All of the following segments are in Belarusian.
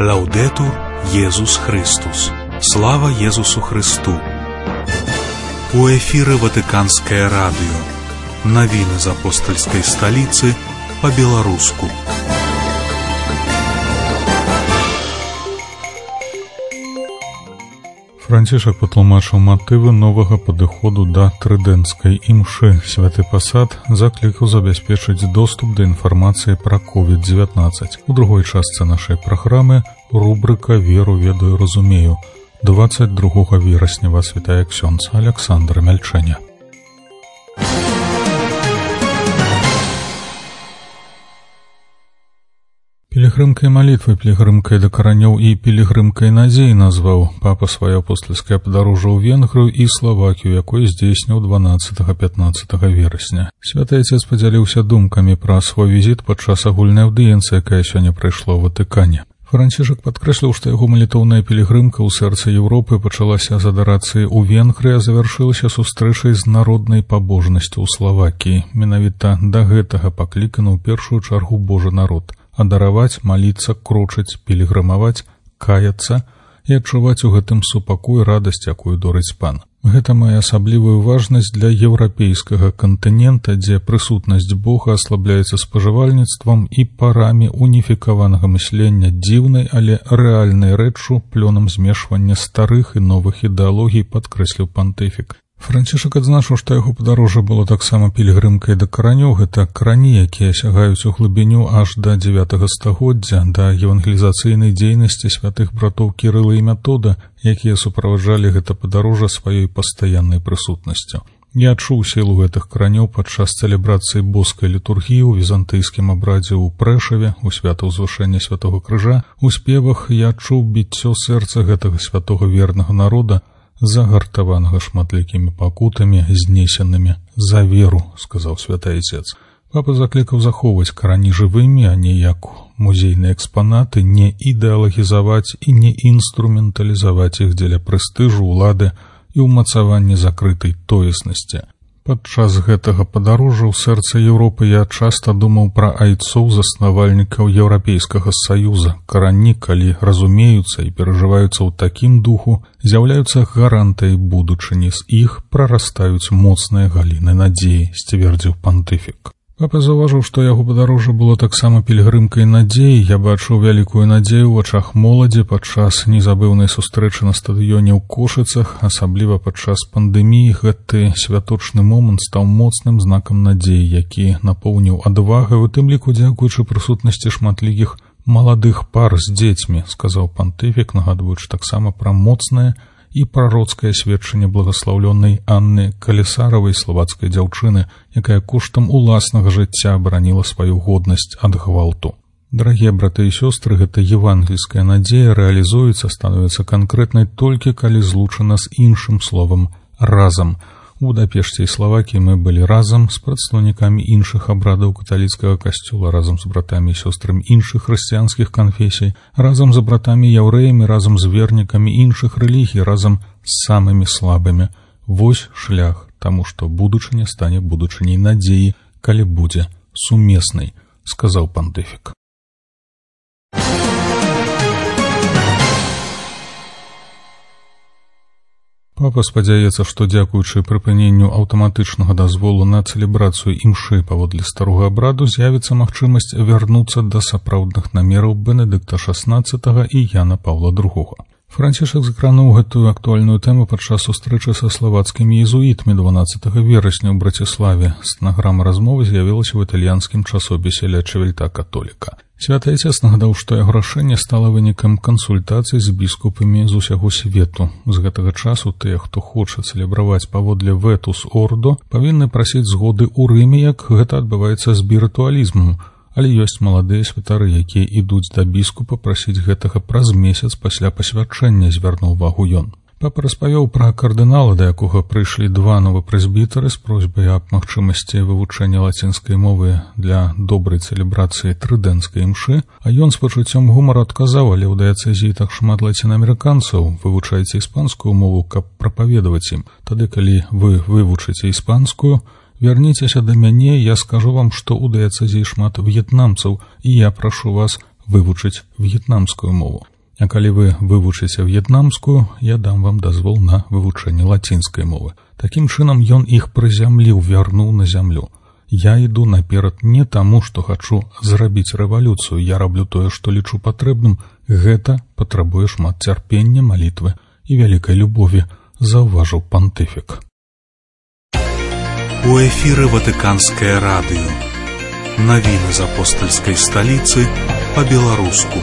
Лаудетур Єсус Христос. Слава Єсусу Христу. У эфире Ватиканское радио. Новины из апостольской столицы по-белорусски. Францішак патлумачыў матывы новага падыходу да трыдэнцкай імшы. Святы пасад заклікаў забяспечыць доступ да інфармацыі пра COVID-19. У другой частцы нашай праграмы рубрыка «Веру, ведаю, разумею». 22 верасня вас вітае ксёндз Александр Мяльчэня. Пілігрымкай малітвы, пілігрымкай да каранёў і пілігрымкай надзей назваў папа сваё апостальскае падарожжа ў Венгрыю і Славакію, якое здзейсніў 12-15 верасня. Святы Отец падзяліўся думкамі пра свой візіт падчас агульнай аўдыенцыі, якая сёння прайшла ў Ватыкане. Францішак падкрэсліў, што яго малітоўная пілігрымка ў сэрцы Еўропы пачалася з адарацыі ў Венгрыі, а завяршылася сустрэчай з народнай пабожнасцю ў Славакіі. Менавіта да гэтага пакліканы ў першую чаргу Божы народ. Адараваць, маліцца, крочыць, пілігрымаваць, каяцца і адчуваць у гэтым супакой радасць, якую дорыць Пан. Гэта мае асаблівую важнасць для еўрапейскага кантынента, дзе прысутнасць Бога аслабляецца спажывальніцтвам і парамі уніфікаванага мыслення дзіўнай, але рэальнай рэччу, плёнам змешвання старых і новых ідэалогій, падкрэсліў пантыфік. Францішак адзначыў, што яго падарожжа было таксама пілігрымкай да каранёў. Гэта карані, якія сягаюць у глыбіню аж да 9 стагоддзя, да евангелізацыйнай дзейнасці святых братоў Кірыла і Метода, якія суправаджалі гэта падарожжа сваёй пастаяннай прысутнасцю. Я адчуў сілу гэтых каранёў падчас цэлебрацыі боскай літургіі ў візантыйскім абрадзе ў Прэшаве, у святаўзвышэння святога крыжа, у спевах я адчуў біццё сэрца гэтага святога вернага народа, загартаванага шматлікімі пакутамі, знесенымі за веру, сказаў святы Отец. Папа заклікаў захоўваць карані жывымі, а не як музейныя экспанаты, не ідэалагізаваць і не інструменталізаваць іх дзеля прэстыжу, улады і ўмацавання закрытай тоеснасці. Падчас гэтага падарожжа ў сэрцы Еўропы я часта думаў пра айцоў заснавальнікаў Еўрапейскага Саюза. Карані, калі разумеюцца і перажываюцца ў такім духу, з'яўляюцца гарантай будучыні, з іх прарастаюць моцныя галіны надзеі, сцвердзіў пантыфік. Папа заўважыў, што яго падарожжа было таксама пілігрымкай надзеі. Я бачыў вялікую надзею ў вачах моладзі падчас незабыўнай сустрэчы на стадыёне ў Кошыцах, асабліва падчас пандэміі. Гэты святочны момант стаў моцным знакам надзеі, які напоўніў адвагай, у тым ліку дзякуючы прысутнасці шматлікіх маладых пар з дзецьмі, сказаў пантыфік, нагадваючы таксама пра моцнае і прароцкае сведчанне благаслаўлёнай Анны Калісаравай, славацкай дзяўчыны, якая коштам уласнага жыцця абараніла сваю годнасць ад гвалту. Дарагія браты і сёстры, гэта евангельская надзея рэалізуецца, становіцца канкрэтнай толькі калі злучана з іншым словам «разам». У Будапешце і Славакіі мы былі разам з прадстаўнікамі іншых абрадаў каталіцкага касцёла, разам з братамі і сёстрамі іншых хрысціянскіх канфесій, разам з братамі яўрэямі, разам з вернікамі іншых рэлігій, разам з самымі слабымі. Вось шлях, таму што будучыня стане будучыняй надзеі, калі будзе сумеснай, сказаў пантыфік. Папа спадзяецца, што дзякуючы прыпыненню аўтаматычнага дазволу на цэлебрацыю імшы паводле старога абраду з'явіцца магчымасць вярнуцца да сапраўдных намераў Бенедыкта XVI і Яна Паўла II. Францішак закрануў гэтую актуальную тэму падчас сустрэчы са славацкімі езуітамі 12 верасня ў Браціславе. Стэнаграма размовы з'явілася ў італьянскім часопісе «Ля Чевельта Католіка». Святы Отец нагадаў, што яго рашэнне стала вынікам кансультацый з біскупамі з усяго свету. З гэтага часу тыя, хто хоча цэлебраваць паводле «Ветус Ордо», павінны прасіць згоды ў Рыме, як гэта адбываецца з бірытуалізмам. Але ёсць маладыя святары, якія ідуць да біскупа прасіць гэтага праз месяц пасля пасвячэння, звярнуў увагу ён. Папа распавёў пра кардынала, да якога прыйшлі два новапрэзбітары з просьбай аб магчымасці вывучэння лацінскай мовы для добрай цэлебрацыі трыдэнцкай імшы, а ён з пачуццём гумару адказаў: але ў дыяцэзіі так шмат лацінаамерыканцаў, вывучайце іспанскую мову, каб прапаведаваць ім. Тады, калі вы вывучыце іспанскую, вярніцеся да мяне, я скажу вам, што ў дыяцэзіі шмат в'етнамцаў, і я прашу вас вывучыць в'етнамскую мову. А калі вы вывучыце в'етнамскую, я дам вам дазвол на вывучэнне лацінскай мовы. Такім чынам ён іх прызямліў, вярнуў на зямлю. Я іду наперад не таму, што хачу зрабіць рэвалюцыю, я раблю тое, што лічу патрэбным. Гэта патрабуе шмат цярпення, малітвы і вялікай любові, заўважыў пантыфік. У эфіры Ватыканскае радыё. Навіны з апостальскай сталіцы па-беларуску.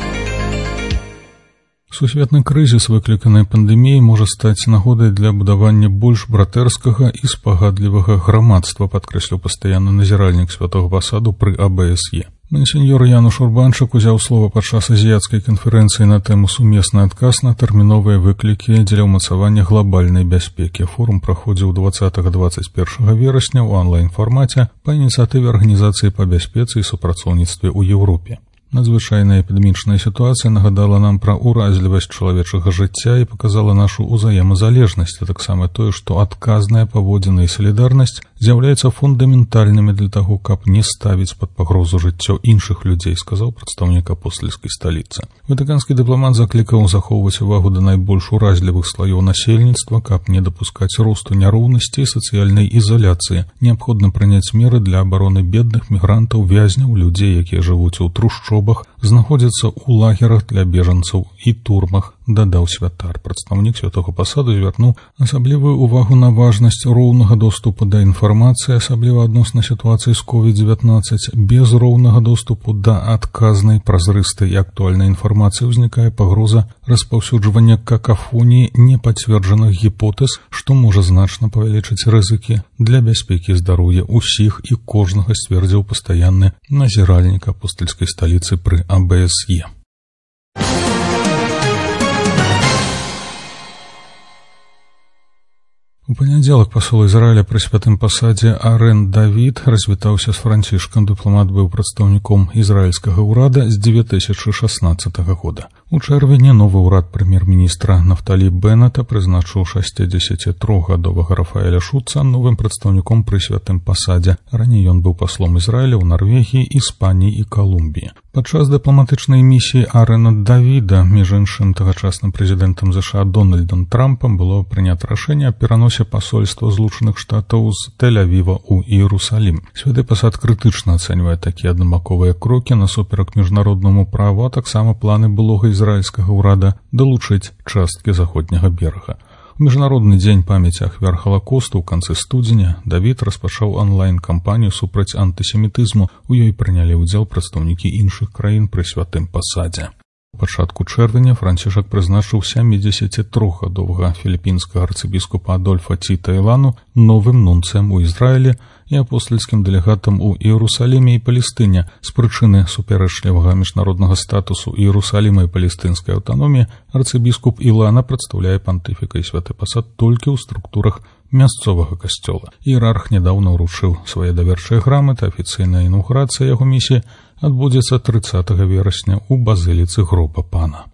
Сусветны крызіс, выкліканы пандэміяй, можа стаць нагодай для будавання больш братэрскага і спагадлівага грамадства, падкрэсліў пастаянны назіральнік святога пасаду пры АБСЕ. Мансеньор Януш Урбанчык узяў слова падчас азіяцкай канферэнцыі на тэму «Сумесны адказ на тэрміновыя выклікі дзеля ўмацавання глобальнай бяспекі». Форум праходзіў 20-21 верасня ў онлайн-фармаце па ініцыятыве Арганізацыі па бяспецы і супрацоўніцтве ў Еўропе. Надзвычайная эпідэмічная сітуацыя нагадала нам пра ўразлівасць чалавечага жыцця і паказала нашу ўзаемазалежнасць, а таксама тое, што адказная паводзіна і салідарнасць з'яўляецца фундаментальнымі для таго, каб не ставіць пад пагрозу жыццё іншых людзей, сказаў прадстаўнік апостальскай сталіцы. Ватыканскі дыпламат заклікаў захоўваць увагу да найбольш уразлівых слаёў насельніцтва, каб не дапускаць росту няроўнасці і сацыяльнай ізаляцыі. Неабходна прыняць меры для абароны бедных, мігрантаў, вязняў, людзей, якія жывуць у трушчобах, знаходзяцца ў лагерах для бежанцаў і турмах, дадаў святар. Прадстаўнік святога пасаду звярнуў асаблівую увагу на важнасць роўнага доступу да інфармацыі, асабліва адносна сітуацыі з COVID-19. Без роўнага доступу да адказнай, празрыстай і актуальнай інфармацыі ўзнікае пагроза распаўсюджвання какафоніі непацверджаных гіпотэз, што можа значна павялічыць рызыкі для бяспекі і здароўя ўсіх і кожнага, сцвердзіў пастаянны назіральнік апостальскай сталіцы пры АБСЕ. У панядзелак пасол Ізраіля пры святым пасадзе Арен Давід развітаўся з Францішкам. Дыпламат быў прадстаўніком ізраільскага ўрада з 2016 года. У чэрвені новы ўрад прэм'ер-міністра Нафталі Беннета прызначыў 63-гадовага Рафаэля Шуца новым прадстаўніком пры святым пасадзе. Раней ён быў паслом Ізраіля ў Нарвегіі, Іспаніі і Калумбіі. Падчас дыпламатычнай місіі Арена Давіда, між іншым тагачасным прэзідэнтам США Дональдам Трампам, было прынята рашэнне аб пераносе пасольства Злучаных Штатаў з Тель-Авіва ў Іерусалім. Святы пасад крытычна ацэньвае такія аднабаковыя крокі насуперак міжнароднаму праву, а таксама планы былога ізраільскага ўрада далучыць часткі заходняга берага. У міжнародны дзень памяці ахвяр Халакосту ў канцы студзеня Давід распачаў онлайн-кампанію супраць антысемітызму. У ёй прынялі ўдзел прадстаўнікі іншых краін пры святым пасадзе. У пачатку чэрвеня Францішак прызначыў 73-гадовага філіпінскага арцыбіскупа Адольфа Ціта Ілану новым нунцыем у Ізраілі і апостальскім дэлегатам у Іерусаліме і Палестыне. З прычыны супярэчлівага міжнароднага статусу Іерусаліма і палестынскай аўтаноміі арцыбіскуп Ілана прадстаўляе пантыфіка і святы пасад толькі ў структурах мясцовага касцёла. Іерарх нядаўна ўручыў свае даверчыя граматы. Афіцыйная інаўгурацыя яго місіі адбудзецца 30 верасня ў базыліцы Гроба Пана.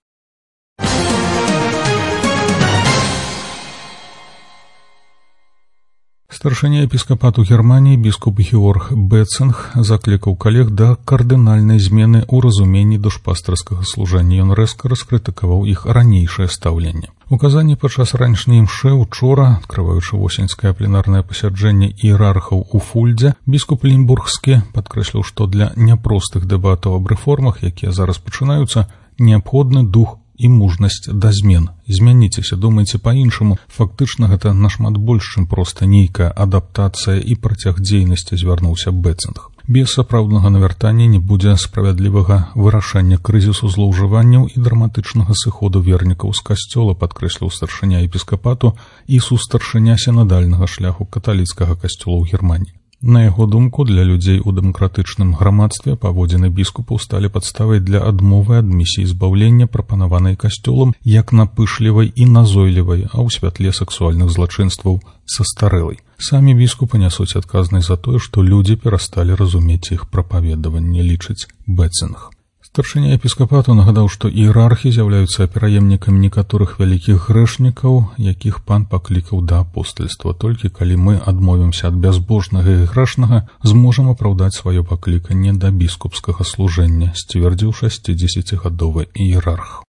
Старшыня епіскапату Германіі біскуп Георг Бецинг заклікаў калег да кардынальнай змены ў разуменні душпастарскага служэння. Ён рэзка раскрытыкаваў іх ранейшае стаўленне. У Казані падчас ранішняй імшы учора, адкрываючы восеньскае пленарнае пасяджэнне іерархаў у Фульдзе, біскуп Лімбургскі падкрэсліў, што для няпростых дэбатаў аб рэформах, якія зараз пачынаюцца, неабходны дух і мужнасць да змен. Змяніцеся, думайце па-іншаму. Фактычна гэта нашмат больш, чым проста нейкая адаптацыя і працяг дзейнасці, звярнуўся Бецинг. Без сапраўднага навяртання не будзе справядлівага вырашэння крызісу злоўжыванняў і драматычнага сыходу вернікаў з касцёла, падкрэсліў старшыня епіскапату і сустаршыня сінадальнага шляху каталіцкага касцёла ў Германіі. На яго думку, для людзей у дэмакратычным грамадстве паводзіны біскупаў сталі падставай для адмовы ад місіі збаўлення, прапанаванай касцёлам, як напышлівай і назойлівай, а ў святле сексуальных злачынстваў састарэлай. Самі біскупы нясуць адказнасць за тое, што людзі перасталі разумець іх прапаведаванне, лічыць Бецинг. Старшыня епіскапату нагадаў, што іерархі з'яўляюцца пераемнікамі некаторых вялікіх грэшнікаў, якіх пан паклікаў да апостальства. Толькі калі мы адмовімся ад бязбожнага і грэшнага, зможам апраўдаць сваё пакліканне да біскупскага служэння, сцвердзіў 60-гадовы іерарх.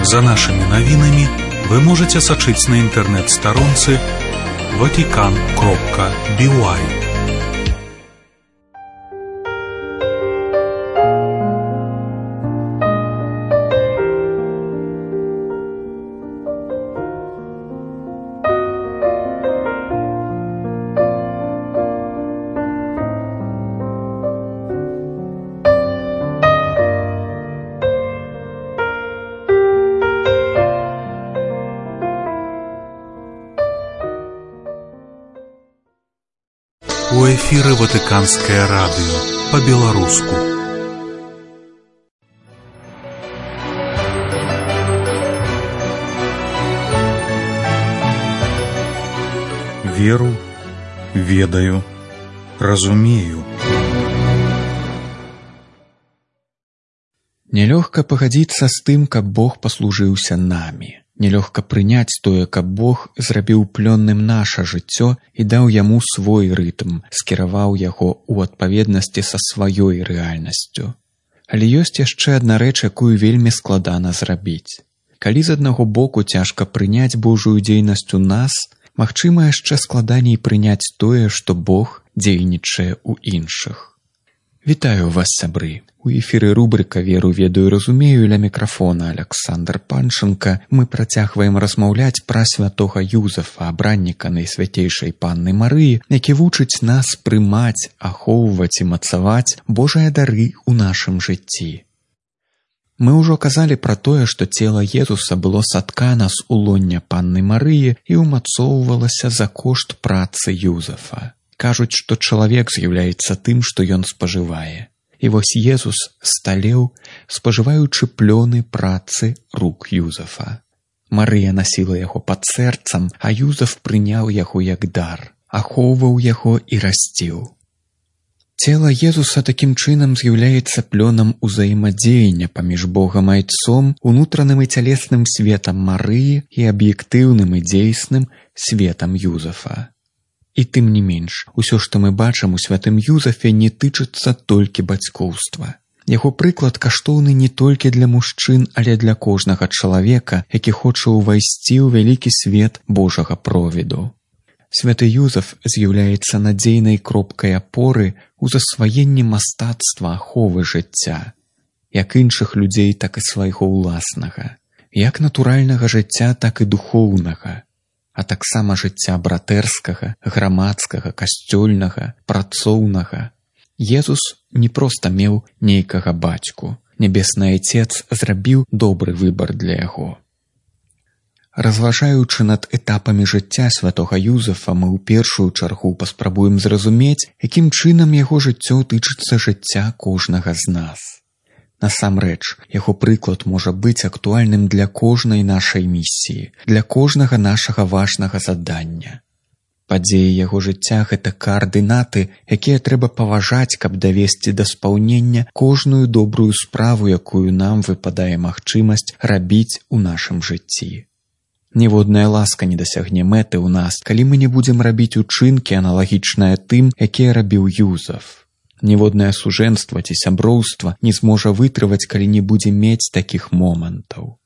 За нашими навінамі вы можете сачыць на інтэрнэт-старонцы vatican.by. У эфіры Ватыканскае радыё па-беларуску. Веру, ведаю, разумею. Нелёгка пагадзіцца з тым, каб Бог паслужыўся намі. Нелёгка прыняць тое, каб Бог зрабіў плённым наша жыццё і даў яму свой рытм, скіраваў яго ў адпаведнасці са сваёй рэальнасцю. Але ёсць яшчэ адна рэч, якую вельмі складана зрабіць. Калі з аднаго боку цяжка прыняць Божую дзейнасць у нас, магчыма яшчэ складаней прыняць тое, што Бог дзейнічае ў іншых. Вітаю вас, сябры! У эфіры рубрыка «Веру, ведаю, разумею» ля мікрафона Аляксандр Панченка мы працягваем размаўляць пра святога Юзафа, абранніка Найсвяцейшай Панны Марыі, які вучыць нас прымаць, ахоўваць і мацаваць Божыя дары ў нашым жыцці. Мы ўжо казалі пра тое, што цела Езуса было саткана з улоння Панны Марыі і ўмацоўвалася за кошт працы Юзафа. Кажуць, што чалавек з'яўляецца тым, што ён спажывае. І вось Езус сталеў, спажываючы плёны працы рук Юзафа. Марыя насіла яго пад сэрцам, а Юзаф прыняў яго як дар, ахоўваў яго і расціў. Цела Езуса такім чынам з'яўляецца плёнам узаемадзеяння паміж Богам Айцом, унутраным і цялесным светам Марыі і аб'ектыўным і дзейсным светам Юзафа. І тым не менш, усё, што мы бачым у святым Юзафе, не тычыцца толькі бацькоўства. Яго прыклад каштоўны не толькі для мужчын, але для кожнага чалавека, які хоча ўвайсці ў вялікі свет Божага провіду. Святы Юзаф з'яўляецца надзейнай кропкай апоры ў засваенні мастацтва аховы жыцця, як іншых людзей, так і свайго ўласнага, як натуральнага жыцця, так і духоўнага, а таксама жыцця братэрскага, грамадскага, касцёльнага, працоўнага. Езус не проста меў нейкага бацьку. Нябесны Айцец зрабіў добры выбар для яго. Разважаючы над этапамі жыцця святога Юзафа, мы ў першую чаргу паспрабуем зразумець, якім чынам яго жыццё тычыцца жыцця кожнага з нас. Насамрэч, яго прыклад можа быць актуальным для кожнай нашай місіі, для кожнага нашага важнага задання. Падзеі яго жыцця – гэта каардынаты, якія трэба паважаць, каб давесці да спаўнення кожную добрую справу, якую нам выпадае магчымасць рабіць у нашым жыцці. Ніводная ласка не дасягне мэты ў нас, калі мы не будзем рабіць учынкі, аналагічныя тым, якія рабіў Юзаф. Ніводнае сужэнства ці сяброўства не зможа вытрываць, калі не будзе мець такіх момантаў.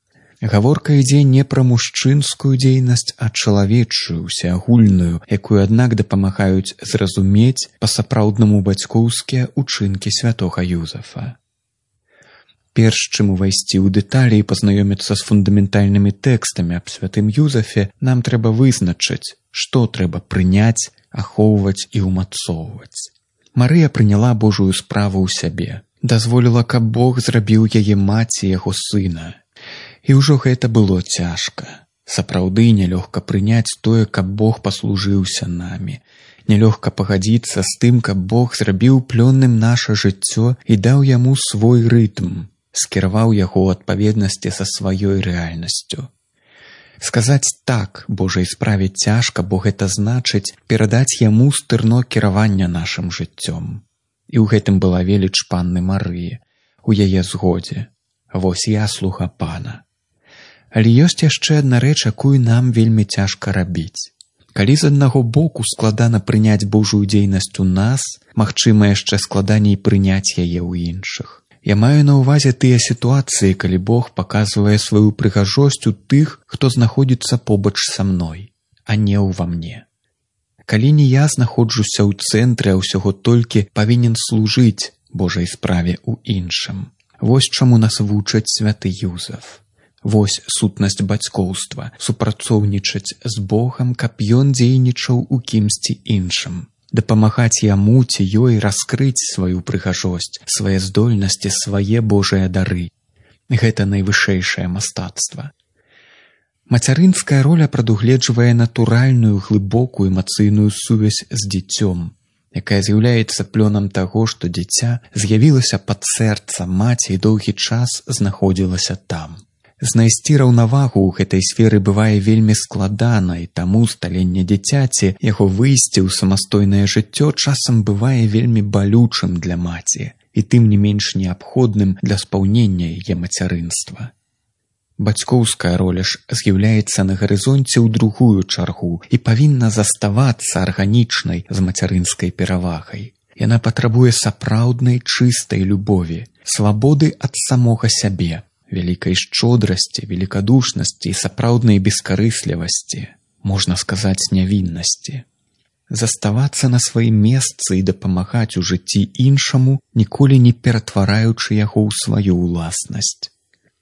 Гаворка ідзе не пра мужчынскую дзейнасць, а чалавечую, усеагульную, якую, аднак, дапамагаюць зразумець па-сапраўднаму бацькоўскія учынкі святога Юзафа. Перш чым увайсці ў дэталі і пазнаёміцца з фундаментальнымі тэкстамі аб святым Юзафе, нам трэба вызначыць, што трэба прыняць, ахоўваць і ўмацоўваць. Марыя прыняла Божую справу ў сябе, дазволіла, каб Бог зрабіў яе маці яго сына. І ўжо гэта было цяжка. Сапраўды нялёгка прыняць тое, каб Бог паслужыўся намі. Нялёгка пагадзіцца з тым, каб Бог зрабіў плённым наша жыццё і даў яму свой рытм, скіраваў яго ў адпаведнасці са сваёй рэальнасцю. Сказаць так Божай справе цяжка, бо гэта значыць перадаць яму стырно кіравання нашым жыццём. І ў гэтым была веліч Панны Марыі, у яе згодзе. Вось я слуга Пана. Але ёсць яшчэ адна рэч, якую нам вельмі цяжка рабіць. Калі з аднаго боку складана прыняць Божую дзейнасць у нас, магчыма яшчэ складаней прыняць яе ў іншых. Я маю на ўвазе тыя сітуацыі, калі Бог паказвае сваю прыгажосць у тых, хто знаходзіцца побач са мной, а не ўва мне. Калі не я знаходжуся ў цэнтры, а ўсяго толькі павінен служыць Божай справе ў іншым. Вось чаму нас вучаць святы Юзаф. Вось сутнасць бацькоўства, супрацоўнічаць з Богам, каб ён дзейнічаў у кімсьці іншым. Дапамагаць яму ці ёй раскрыць сваю прыгажосць, свае здольнасці, свае Божыя дары. Гэта найвышэйшае мастацтва. Мацярынская роля прадугледжвае натуральную, глыбокую эмацыйную сувязь з дзіцём, якая з'яўляецца плёнам таго, што дзіця з'явілася пад сэрцам маці і доўгі час знаходзілася там. Знайсці раўнавагу ў гэтай сферы бывае вельмі складана, і таму сталенне дзіцяці, яго выйсце ў самастойнае жыццё часам бывае вельмі балючым для маці і тым не менш неабходным для спаўнення яе мацярынства. Бацькоўская роля ж з'яўляецца на гарызонце ў другую чаргу і павінна заставацца арганічнай з мацярынскай перавагай. Яна патрабуе сапраўднай чыстай любові, свабоды ад самога сябе, вялікай шчодрасці, велікадушнасці і сапраўднай бескарыслівасці, можна сказаць, нявіннасці. Заставацца на сваім месцы і дапамагаць у жыцці іншаму, ніколі не ператвараючы яго ў сваю ўласнасць.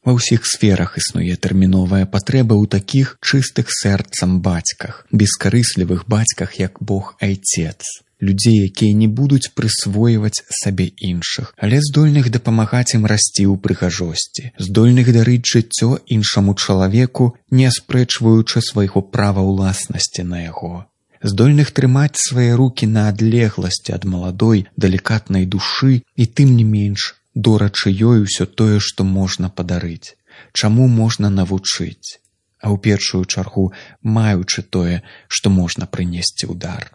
Ва ўсіх сферах існуе тэрміновая патрэба ў такіх чыстых сэрцам бацьках, бескарыслівых бацьках, як Бог Айцец. Людзей, якія не будуць прысвойваць сабе іншых, але здольных дапамагаць ім расці ў прыгажосці, здольных дарыць жыццё іншаму чалавеку, не аспрэчваючы свайго права ўласнасці на яго, здольных трымаць свае рукі на адлегласці ад маладой, далікатнай душы і тым не менш дорачы ёй усё тое, што можна падарыць, чаму можна навучыць, а ў першую чаргу маючы тое, што можна прынесці ў дар.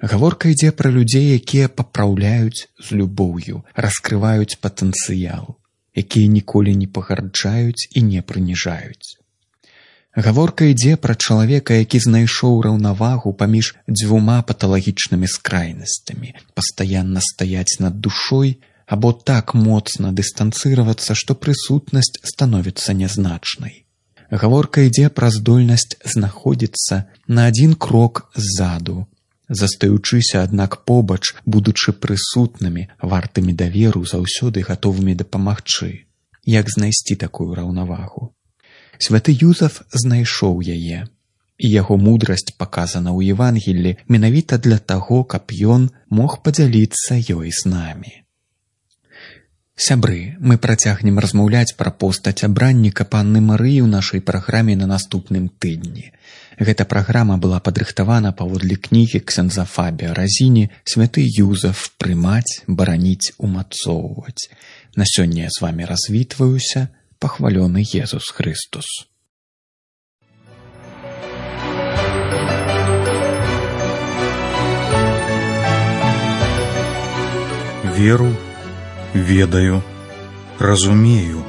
Гаворка ідзе пра людзей, якія папраўляюць з любоўю, раскрываюць патэнцыял, якія ніколі не пагарджаюць і не прыніжаюць. Гаворка ідзе пра чалавека, які знайшоў раўнавагу паміж дзвюма паталагічнымі скрайнасцямі, пастаянна стаяць над душой або так моцна дыстанцыравацца, што прысутнасць становіцца нязначнай. Гаворка ідзе пра здольнасць знаходзіцца на адзін крок ззаду, застаючыся, аднак побач, будучы прысутнымі, вартымі даверу, заўсёды гатовымі дапамагчы. Як знайсці такую раўнавагу? Святы Юзаф знайшоў яе, і яго мудрасць паказана ў Евангеллі менавіта для таго, каб ён мог падзяліцца ёй з намі. Сябры, мы працягнем размаўляць пра постаць абранніка панны Марыі ў нашай праграме на наступным тыдні. Гэта праграма была падрыхтавана паводле кнігі ксяндза Фабія Разіні «Святы Юзаф. Прымаць, бараніць, умацоўваць». На сёння я з вамі развітваюся. Пахвалёны Езус Христос. Веру, ведаю, разумею.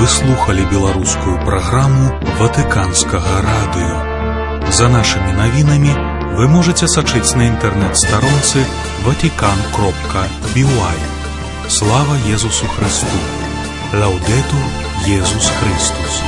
Вы слухали беларускую праграму Ватыканскага радыё. За нашымі навінамі вы можете сачыць на інтэрнэт-старонцы vatican.by. Слава Езусу Христу! Лаудетур Езус Христос!